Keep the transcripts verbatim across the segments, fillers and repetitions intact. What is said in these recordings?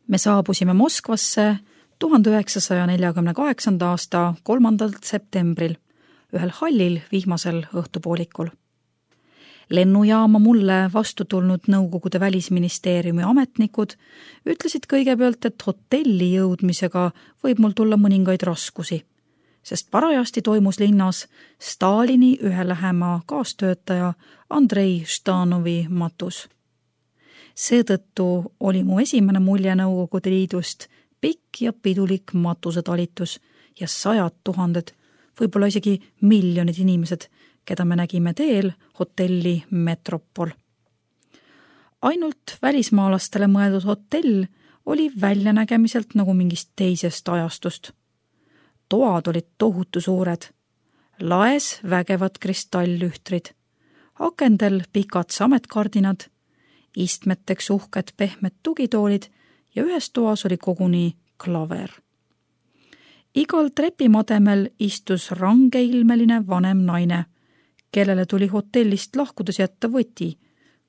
Me saabusime Moskvasse tuhande üheksasaja neljakümne kaheksanda aasta kolmandal septembril, ühel hallil vihmasel õhtupoolikul. Lennujaama mulle vastu tulnud Nõukogude välisministeeriumi ametnikud ütlesid kõigepealt, et hotelli jõudmisega võib mul tulla mõningaid raskusi, sest parajasti toimus linnas Stalini ühe lähema kaastöötaja Andrei Ždanovi matus. Seetõttu oli mu esimene mulje Nõukogude Liidust pikk ja pidulik matusetalitus ja sajad tuhanded, võib-olla isegi miljonid inimesed, keda me nägime teel hotelli Metropol. Ainult välismaalastele mõeldud hotell oli väljanägemiselt nagu mingist teisest ajastust. Toad olid tohutu suured, laes vägevad kristallühtrid, akendel pikad sametkardinad, istmeteks uhked pehmed tugitoolid ja ühes toas oli koguni klaver. Igal trepimademel istus rangeilmeline vanem naine, kellele tuli hotellist lahkudes jätta võti,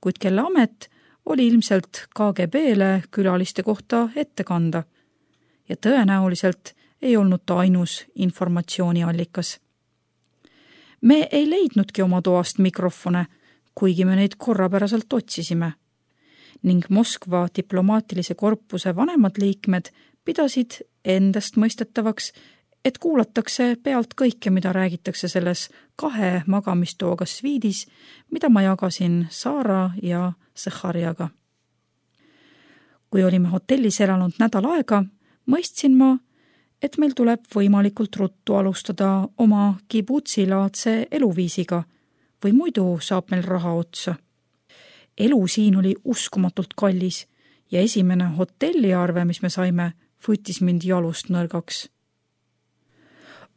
kuid kelle amet oli ilmselt K G B-le külaliste kohta ette kanda ja tõenäoliselt ei olnud ta ainus informatsiooniallikas. Me ei leidnudki oma toast mikrofone, kuigi me neid korrapäraselt otsisime, ning Moskva diplomaatilise korpuse vanemad liikmed pidasid endast mõistetavaks, et kuulatakse pealt kõike, mida räägitakse selles kahe magamistooga sviidis, mida ma jagasin Saara ja Zahharjaga. Kui olime hotellis elanud nädal aega, mõistsin ma, et meil tuleb võimalikult ruttu alustada oma kibutsi-laadse eluviisiga või muidu saab meil raha otsa. Elu siin oli uskumatult kallis ja esimene hotelliarve, mis me saime, võttis mind jalust nõrgaks.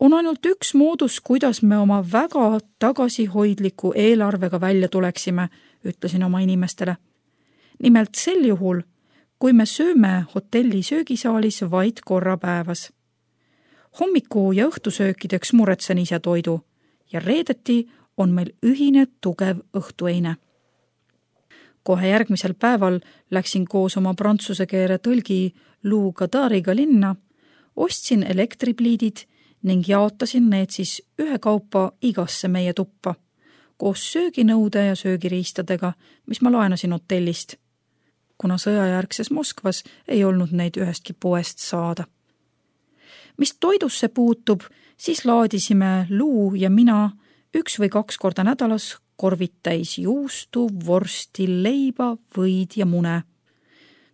On ainult üks moodus, kuidas me oma väga tagasihoidliku eelarvega välja tuleksime, ütlesin oma inimestele. Nimelt sel juhul, kui me sööme hotelli söögisaalis vaid korra päevas. Hommiku ja õhtusöökideks muretsen ise toidu ja reedeti on meil ühine tugev õhtueine. Kohe järgmisel päeval läksin koos oma prantsuse keele tõlgi Lou Gadariga linna, ostsin elektripliidid ning jaotasin need siis ühe kaupa igasse meie tuppa, koos sööginõude ja söögiriistadega, mis ma laenasin hotellist, kuna sõjajärgses Moskvas ei olnud neid ühestki poest saada. Mis toidusse puutub, siis laadisime Lou ja mina üks või kaks korda nädalas korvid täis juustu, vorsti, leiba, võid ja mune.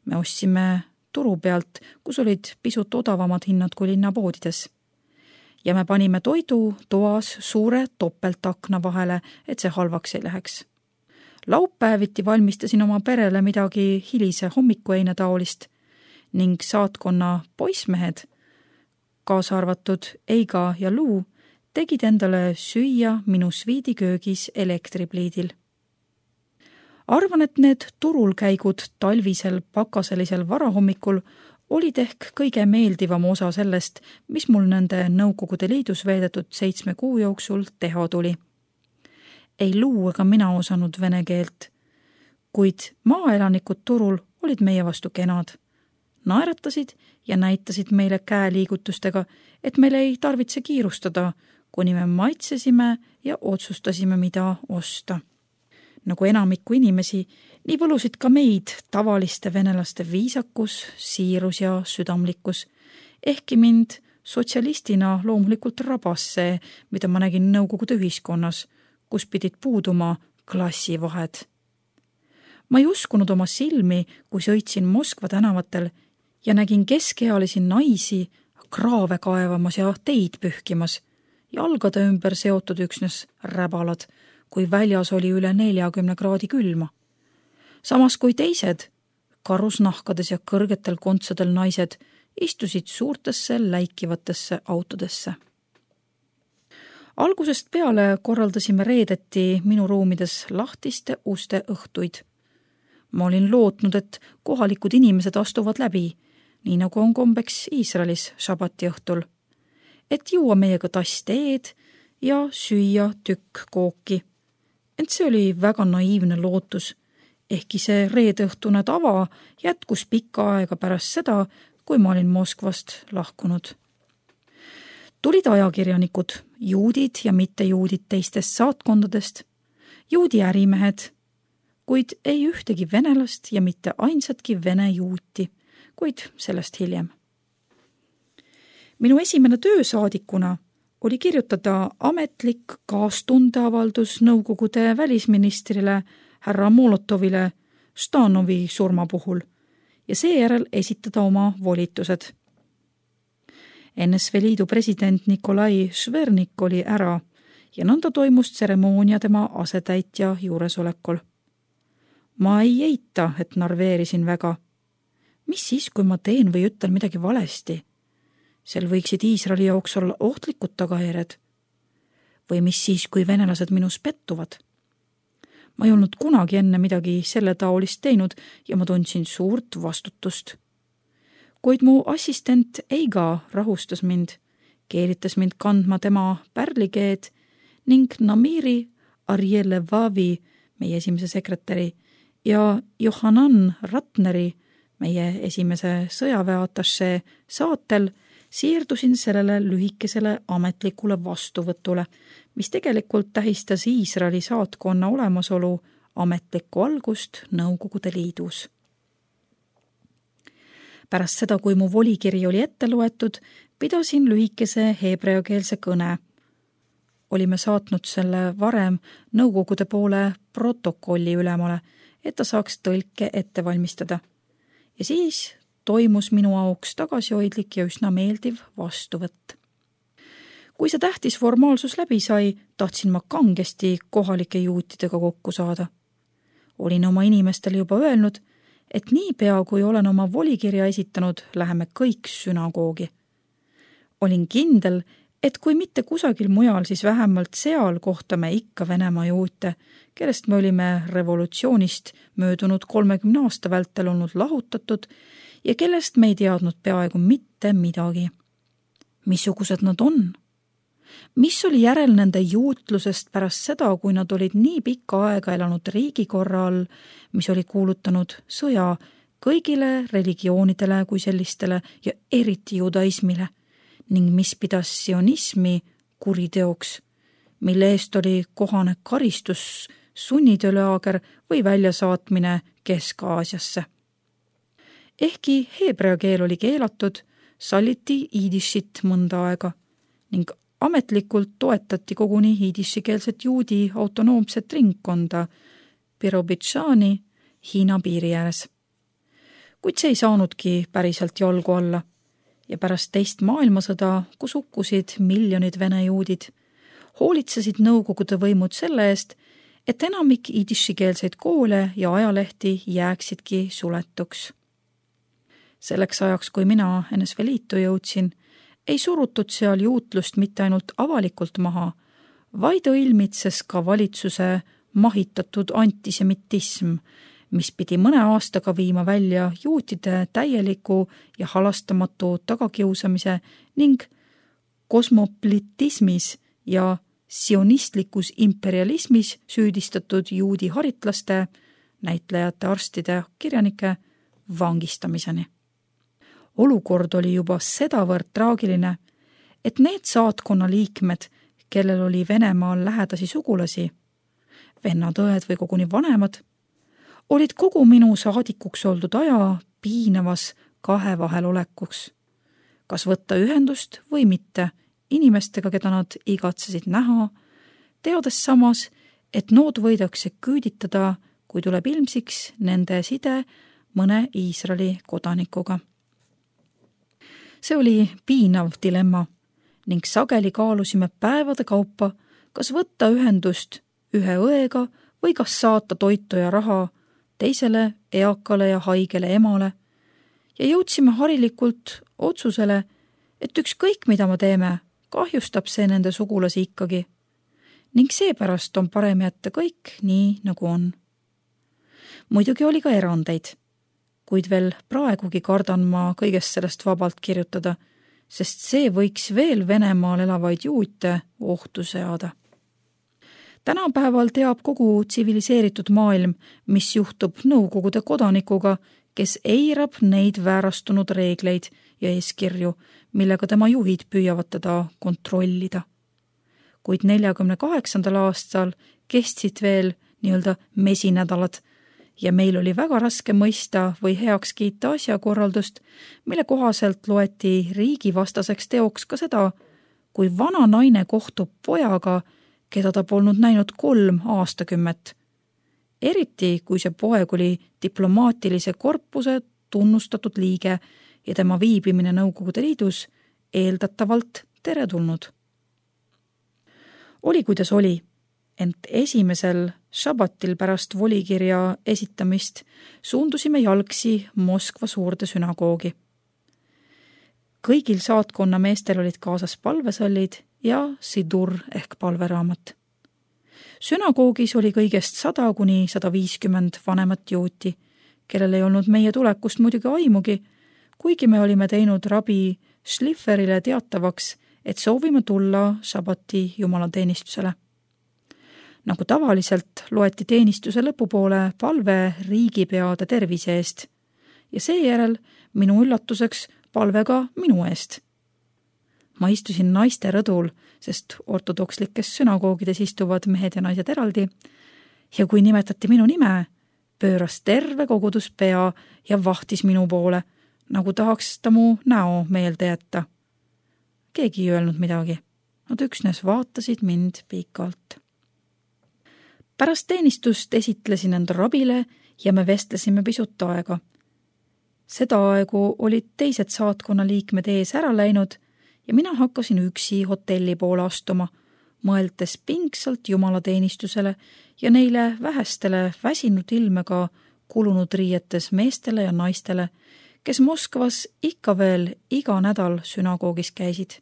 Me ostsime turu pealt, kus olid pisut odavamad hinnad kui linnapoodides. Ja me panime toidu toas suure topeltakna vahele, et see halvaks ei läheks. Laupäeviti valmistasin oma perele midagi hilise hommikueine taolist ning saatkonna poismehed, kaasa arvatud Eiga ja Lou, tegid endale süüa minu sviidiköögis elektripliidil. Arvan, et need turulkäigud talvisel pakaselisel varahommikul olid ehk kõige meeldivam osa sellest, mis mul nende Nõukogude Liidus veedetud seitsme kuu jooksul teha tuli. Ei Lou ega mina osanud vene keelt, kuid maaelanikud turul olid meie vastu kenad. Naeratasid ja näitasid meile käeliigutustega, et meil ei tarvitse kiirustada, kuni me maitsesime ja otsustasime, mida osta. Nagu enamikku inimesi, nii võlusid ka meid tavaliste venelaste viisakus, siirus ja südamlikkus, ehkki mind sotsialistina loomulikult rabas see, mida ma nägin Nõukogude ühiskonnas, kus pidid puuduma klassivahed. Ma ei uskunud oma silmi, kui sõitsin Moskva tänavatel ja nägin keskealisi naisi kraave kaevamas ja teid pühkimas, jalgade ümber seotud üksnes räbalad, kui väljas oli üle neljakümne kraadi külma. Samas kui teised, karusnahkades ja kõrgetel kontsadel naised, istusid suurtesse läikivatesse autodesse. Algusest peale korraldasime reedeti minu ruumides lahtiste uste õhtuid. Ma olin lootnud, et kohalikud inimesed astuvad läbi, nii nagu on kombeks Iisraelis šabati õhtul, et juua meiega tass teed ja süüa tükk kooki. Ent see oli väga naiivne lootus, ehkki see reedeõhtune tava jätkus pikka aega pärast seda, kui ma olin Moskvast lahkunud. Tulid ajakirjanikud, juudid ja mittejuudid teistest saatkondadest, juudi ärimehed, kuid ei ühtegi venelast ja mitte ainsatki vene juuti, kuid sellest hiljem. Minu esimene töö saadikuna oli kirjutada ametlik kaastundeavaldus Nõukogude välisministrile härra Molotovile Stanovi surma puhul ja seejärel esitada oma volitused. N S V Liidu president Nikolai Švernik oli ära ja nõnda toimus tseremoonia tema asetäitja juuresolekul. Ma ei eita, et narveerisin väga. Mis siis, kui ma teen või ütlen midagi valesti? Sel võiksid Iisraeli jaoks olla ohtlikud tagajärjed. Või mis siis, kui venelased minus pettuvad? Ma ei olnud kunagi enne midagi selle taolist teinud ja ma tundsin suurt vastutust. Kuid mu assistent Eiga rahustas mind, keeritas mind kandma tema pärlikeed ning Namiri Arjelevavi, meie esimese sekretäri, ja Johanan Ratneri, meie esimese sõjaväeatašee saatel, siirdusin sellele lühikesele ametlikule vastuvõtule, mis tegelikult tähistas Iisraeli saatkonna olemasolu ametlikku algust Nõukogude Liidus. Pärast seda, kui mu volikiri oli ette loetud, pidasin lühikese heebreakeelse kõne. Olime saatnud selle varem Nõukogude poole protokolli ülemale, et ta saaks tõlke ette valmistada. Ja siis toimus minu auks tagasihoidlik ja üsna meeldiv vastuvõtt. Kui see tähtis formaalsus läbi sai, tahtsin ma kangesti kohalike juutidega kokku saada. Olin oma inimestele juba öelnud, et niipea kui olen oma volikirja esitanud, läheme kõik sünagoogi. Olin kindel, et kui mitte kusagil mujal, siis vähemalt seal kohtame ikka Venemaa juute, kellest me olime revolutsioonist möödunud kolmekümne aasta vältel olnud lahutatud ja kellest me ei teadnud peaaegu mitte midagi. Missugused nad on? Mis oli järel nende juutlusest pärast seda, kui nad olid nii pikka aega elanud riigikorra all, mis oli kuulutanud sõja kõigile religioonidele kui sellistele ja eriti judaismile, ning mis pidas sionismi kuriteoks, mille eest oli kohane karistus, sunnitöölaager või väljasaatmine Kesk-Aasiasse. Ehkki heebrea keel oli keelatud, salliti iidishit mõnda aega ning ametlikult toetati koguni iidishikeelset juudi autonoomset ringkonda Birobidžani Hiina piiri ääres. Kuid see ei saanudki päriselt jalgu alla ja pärast teist maailmasõda, kus hukkusid miljonid vene juudid, hoolitsesid Nõukogude võimud selle eest, et enamik iidishikeelseid koole ja ajalehti jääksidki suletuks. Selleks ajaks, kui mina N S V Liitu jõudsin, ei surutud seal juutlust mitte ainult avalikult maha, vaid õilmitses ka valitsuse mahitatud antisemitism, mis pidi mõne aastaga viima välja juutide täieliku ja halastamatu tagakiusamise ning kosmopolitismis ja sionistlikus imperialismis süüdistatud juudi haritlaste, näitlejate, arstide, kirjanike vangistamiseni. Olukord oli juba sedavõrd traagiline, et need saatkonna liikmed, kellel oli Venemaal lähedasi sugulasi, vennad-õed või koguni vanemad, olid kogu minu saadikuks oldud aja piinavas kahe vahel olekuks. Kas võtta ühendust või mitte inimestega, keda nad igatsesid näha, teades samas, et nood võidakse küüditada, kui tuleb ilmsiks nende side mõne Iisraeli kodanikuga. See oli piinav dilemma ning sageli kaalusime päevade kaupa, kas võtta ühendust ühe õega või kas saata toitu ja raha teisele eakale ja haigele emale ja jõudsime harilikult otsusele, et ükskõik mida me teeme, kahjustab see nende sugulasi ikkagi ning seepärast on parem jätta kõik nii, nagu on. Muidugi oli ka erandeid, kuid veel praegugi kardan ma kõigest sellest vabalt kirjutada, sest see võiks veel Venemaal elavaid juute ohtu seada. Tänapäeval teab kogu tsiviliseeritud maailm, mis juhtub Nõukogude kodanikuga, kes eirab neid väärastunud reegleid ja eeskirju, millega tema juhid püüavad teda kontrollida. Kuid neljakümne kaheksandal aastal kestsid veel nii-öelda mesinädalad ja meil oli väga raske mõista või heaks kiita asjakorraldust, mille kohaselt loeti riigivastaseks teoks ka seda, kui vana naine kohtub pojaga, keda ta polnud näinud kolm aastakümmet. Eriti, kui see poeg oli diplomaatilise korpuse tunnustatud liige ja tema viibimine Nõukogude Liidus eeldatavalt teretulnud. Oli kuidas oli, ent esimesel šabatil pärast volikirja esitamist suundusime jalgsi Moskva suurde sünagoogi. Kõigil saatkonna meestel olid kaasas palvesallid ja sidur ehk palveraamat. Sünagoogis oli kõigest sada kuni sada viiskümmend vanemat juuti, kellel ei olnud meie tulekust muidugi aimugi, kuigi me olime teinud rabi Schlifferile teatavaks, et soovime tulla šabati jumalateenistusele. Nagu tavaliselt loeti teenistuse lõpupoole palve riigipeade tervise eest ja seejärel minu üllatuseks palve ka minu eest. Ma istusin naiste rõdul, sest ortodokslikes sünagoogides istuvad mehed ja naised eraldi, ja kui nimetati minu nime, pööras terve kogudus pea ja vahtis minu poole, nagu tahaks ta mu näo meelde jätta. Keegi ei öelnud midagi, nad üksnes vaatasid mind pikalt. Pärast teenistust esitlesin end rabile ja me vestlesime pisut aega. Seda aegu olid teised saatkonna liikmed ees ära läinud ja mina hakkasin üksi hotelli poole astuma, mõeldes pingsalt jumalateenistusele ja neile vähestele väsinud ilmega kulunud riietes meestele ja naistele, kes Moskvas ikka veel iga nädal sünagoogis käisid.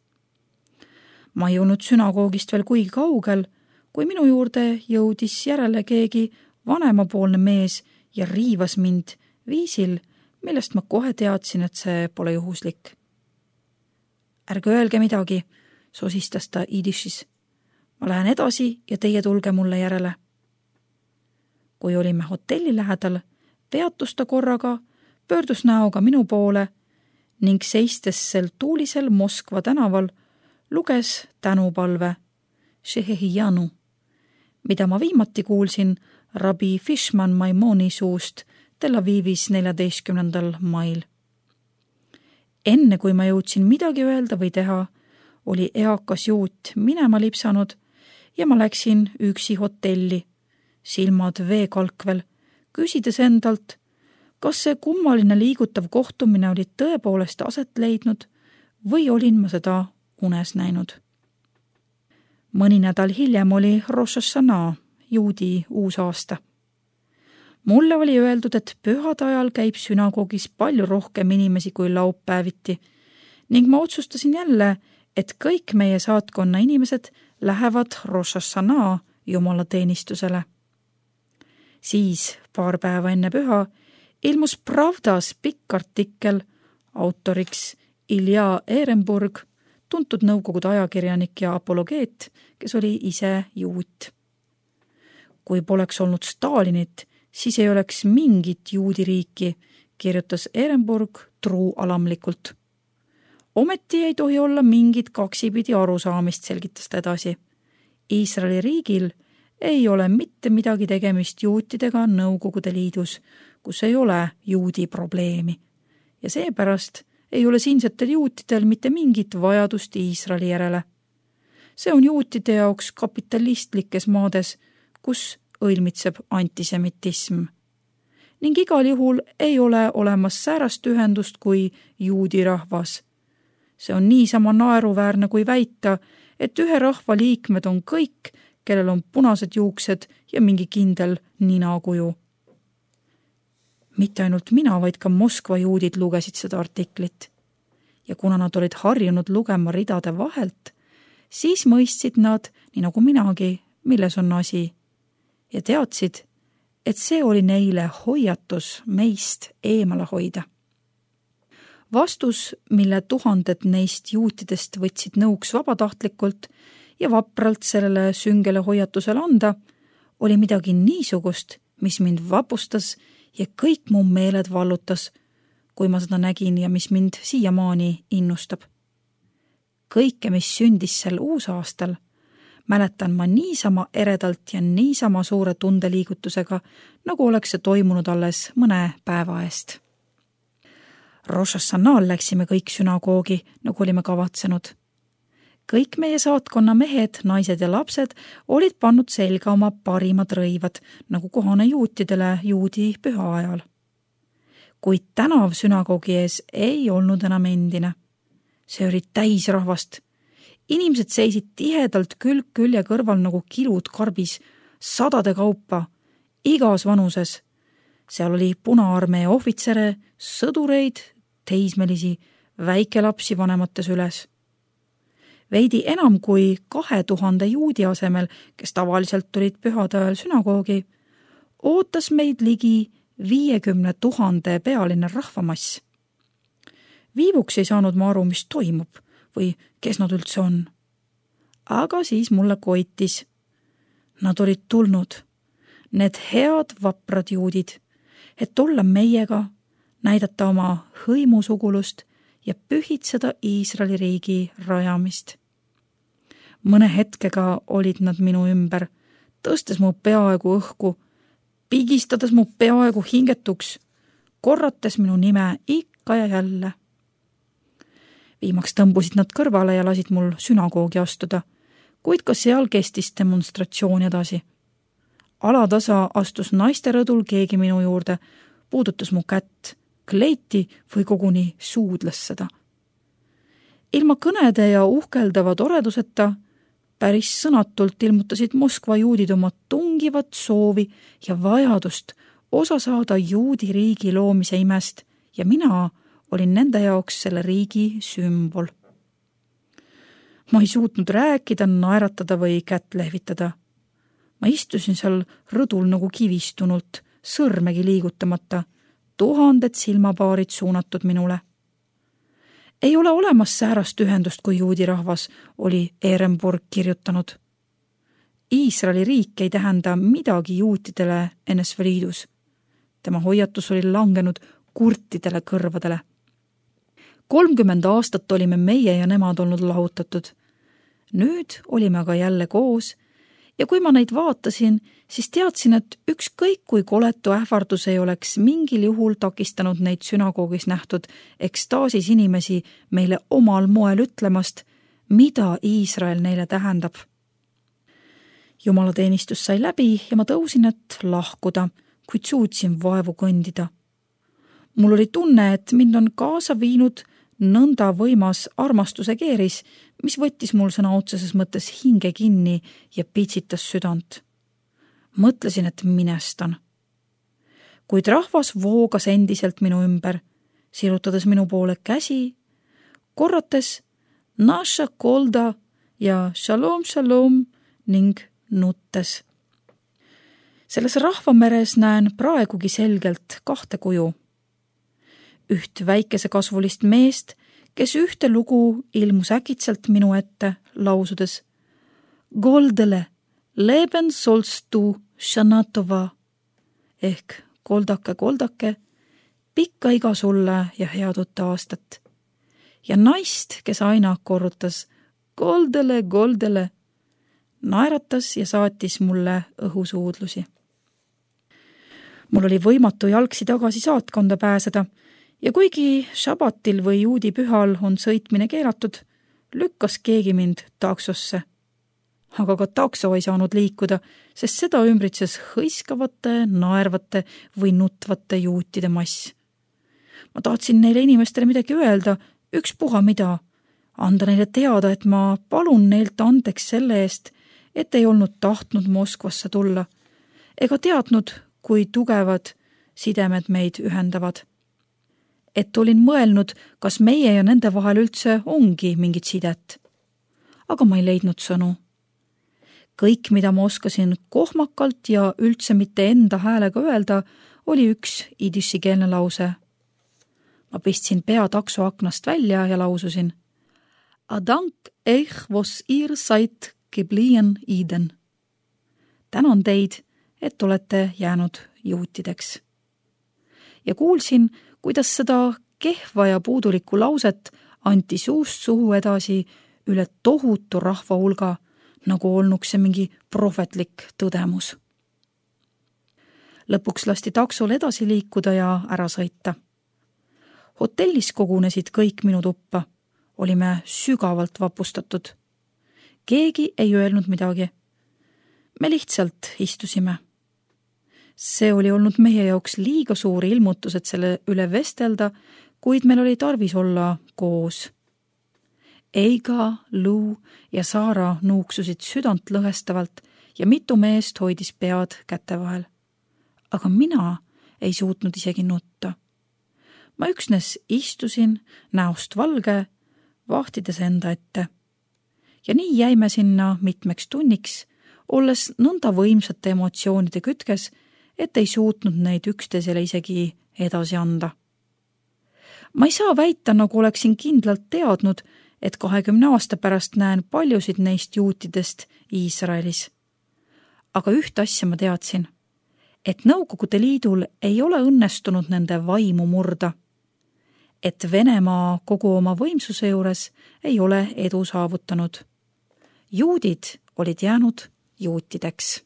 Ma ei jõudnud sünagoogist veel kuigi kaugel, kui minu juurde jõudis järele keegi vanemapoolne mees ja riivas mind viisil, millest ma kohe teadsin, et see pole juhuslik. Ärge öelge midagi, sosistas ta idišis. Ma lähen edasi ja teie tulge mulle järele. Kui olime hotelli lähedal, peatus ta korraga, pöördus näoga minu poole ning seistes sel tuulisel Moskva tänaval luges tänupalve Šehehijanu, mida ma viimati kuulsin rabi Fishman Maimoni suust Tel Avivis neljateistkümnendal mail. Enne kui ma jõudsin midagi öelda või teha, oli eakas juut minema lipsanud ja ma läksin üksi hotelli, silmad veekalkvel, küsides endalt, kas see kummaline liigutav kohtumine oli tõepoolest aset leidnud või olin ma seda unes näinud. Mõni nädal hiljem oli Rosh Hashanah, juudi uusaasta. Mulle oli öeldud, et pühade ajal käib sünagoogis palju rohkem inimesi kui laupäeviti ning ma otsustasin jälle, et kõik meie saatkonna inimesed lähevad Rosh Hashanah jumalateenistusele. Siis, paar päeva enne püha, ilmus Pravdas pikk artikkel, autoriks Ilja Ehrenburg, tuntud Nõukogude ajakirjanik ja apologeet, kes oli ise juut. Kui poleks olnud Stalinit, siis ei oleks mingit juudiriiki, kirjutas Ehrenburg truualamlikult. Ometi ei tohi olla mingit kaksipidi arusaamist, selgitas ta edasi. Iisraeli riigil ei ole mitte midagi tegemist juutidega Nõukogude Liidus, kus ei ole juudi probleemi. Ja seepärast ei ole siinsetel juutidel mitte mingit vajadust Iisraeli järele. See on juutide jaoks kapitalistlikes maades, kus õilmitseb antisemitism. Ning igal juhul ei ole olemas säärast ühendust kui juudi rahvas. See on niisama naeruväärne kui väita, et ühe rahva liikmed on kõik, kellel on punased juuksed ja mingi kindel ninakuju. Mitte ainult mina, vaid ka Moskva juudid lugesid seda artiklit. Ja kuna nad olid harjunud lugema ridade vahelt, siis mõistsid nad, nii nagu minagi, milles on asi. Ja teadsid, et see oli neile hoiatus meist eemale hoida. Vastus, mille tuhanded neist juutidest võtsid nõuks vabatahtlikult ja vapralt sellele süngele hoiatusele anda, oli midagi niisugust, mis mind vapustas ja kõik mu meeled vallutas, kui ma seda nägin ja mis mind siiamaani innustab. Kõike, mis sündis sel uusaastal, mäletan ma niisama eredalt ja niisama suure tundeliigutusega, nagu oleks see toimunud alles mõne päeva eest. Rosh Hashanah'l läksime kõik sünagoogi, nagu olime kavatsenud. Kõik meie saatkonna mehed, naised ja lapsed olid pannud selga oma parimad rõivad, nagu kohane juutidele juudi püha ajal. Kuid tänav sünagoogi ees ei olnud enam endine. See oli täis rahvast. Inimesed seisid tihedalt külg külje kõrval nagu kilud karbis, sadade kaupa, igas vanuses. Seal oli Punaarmee ohvitsere, sõdureid, teismelisi, väikelapsi vanemates üles. Veidi enam kui kahe tuhande juudi asemel, kes tavaliselt tulid pühade ajal sünagoogi, ootas meid ligi viiekümne tuhande pealine rahvamass. Viivuks ei saanud ma aru, mis toimub või kes nad üldse on. Aga siis mulle koitis. Nad olid tulnud, need head vaprad juudid, et olla meiega, näidata oma hõimusugulust ja pühitseda Iisraeli riigi rajamist. Mõne hetkega olid nad minu ümber, tõstes mu peaaegu õhku, pigistades mu peaaegu hingetuks, korrates minu nime ikka ja jälle. Viimaks tõmbusid nad kõrvale ja lasid mul sünagoogi astuda, kuid ka seal kestis demonstratsioon edasi. Alatasa astus naiste rõdul keegi minu juurde, puudutas mu kätt, kleiti või koguni suudles seda. Ilma kõnede ja uhkeldava toreduseta päris sõnatult ilmutasid Moskva juudid oma tungivat soovi ja vajadust osa saada juudi riigi loomise imest ja mina olin nende jaoks selle riigi sümbol. Ma ei suutnud rääkida, naeratada või kätt lehvitada. Ma istusin seal rõdul nagu kivistunult, sõrmegi liigutamata, tuhanded silmapaarid suunatud minule. Ei ole olemas säärast ühendust kui juudi rahvas, oli Ehrenburg kirjutanud. Iisraeli riik ei tähenda midagi juutidele N S V Liidus. Tema hoiatus oli langenud kurtidele kõrvadele. kolmkümmend aastat olime meie ja nemad olnud lahutatud. Nüüd olime aga jälle koos ja kui ma neid vaatasin, siis teadsin, et ükskõik kui koletu ähvardus ei oleks mingil juhul takistanud neid sünagoogis nähtud ekstaasis inimesi meile omal moel ütlemast, mida Iisrael neile tähendab. Jumalateenistus sai läbi ja ma tõusin, et lahkuda, kuid suutsin vaevu kõndida. Mul oli tunne, et mind on kaasa viinud nõnda võimas armastuse keeris, mis võttis mul sõna otseses mõttes hinge kinni ja pitsitas südant. Mõtlesin, et minestan. Kuid rahvas voogas endiselt minu ümber, sirutades minu poole käsi, korrates Naša kolda ja Shalom Shalom ning nuttes. Selles rahvameres näen praegugi selgelt kahte kuju. Üht väikese kasvulist meest, kes ühte lugu ilmus äkitselt minu ette lausudes Goldele, leben sollst du Shanatova ehk koldake, koldake, pikka iga sulle ja head uut aastat. Ja naist, kes aina korrutas Goldele, Goldele, naeratas ja saatis mulle õhusuudlusi. Mul oli võimatu jalgsi tagasi saatkonda pääseda, ja kuigi šabatil või juudi pühal on sõitmine keelatud, lükkas keegi mind taksosse. Aga ka takso ei saanud liikuda, sest seda ümbritses hõiskavate, naervate või nutvate juutide mass. Ma tahtsin neile inimestele midagi öelda, ükspuha mida, anda neile teada, et ma palun neilt andeks selle eest, et ei olnud tahtnud Moskvasse tulla, ega teadnud, kui tugevad sidemed meid ühendavad. Et olin mõelnud, kas meie ja nende vahel üldse ongi mingit sidet. Aga ma ei leidnud sõnu. Kõik, mida ma oskasin kohmakalt ja üldse mitte enda häälega öelda, oli üks idissikeelne lause. Ma pistsin pea takso aknast välja ja laususin Adank eich, vos ihr seid geblieben Iden. Tänan teid, et olete jäänud juutideks. Ja kuulsin, kuidas seda kehva ja puudulikku lauset anti suust suhu edasi üle tohutu rahva hulga, nagu olnuks see mingi prohvetlik tõdemus. Lõpuks lasti taksol edasi liikuda ja ära sõita. Hotellis kogunesid kõik minu tuppa. Olime sügavalt vapustatud. Keegi ei öelnud midagi. Me lihtsalt istusime. See oli olnud meie jaoks liiga suur ilmutus, et selle üle vestelda, kuid meil oli tarvis olla koos. Eiga, Lou ja Saara nuuksusid südant lõhestavalt ja mitu meest hoidis pead käte vahel. Aga mina ei suutnud isegi nutta. Ma üksnes istusin näost valge, vahtides enda ette. Ja nii jäime sinna mitmeks tunniks, olles nõnda võimsate emotsioonide kütkes, et ei suutnud neid üksteisele isegi edasi anda. Ma ei saa väita, nagu oleksin kindlalt teadnud, et kahekümne aasta pärast näen paljusid neist juutidest Iisraelis. Aga üht asja ma teadsin, et Nõukogude Liidul ei ole õnnestunud nende vaimu murda, et Venemaa kogu oma võimsuse juures ei ole edu saavutanud. Juudid olid jäänud juutideks.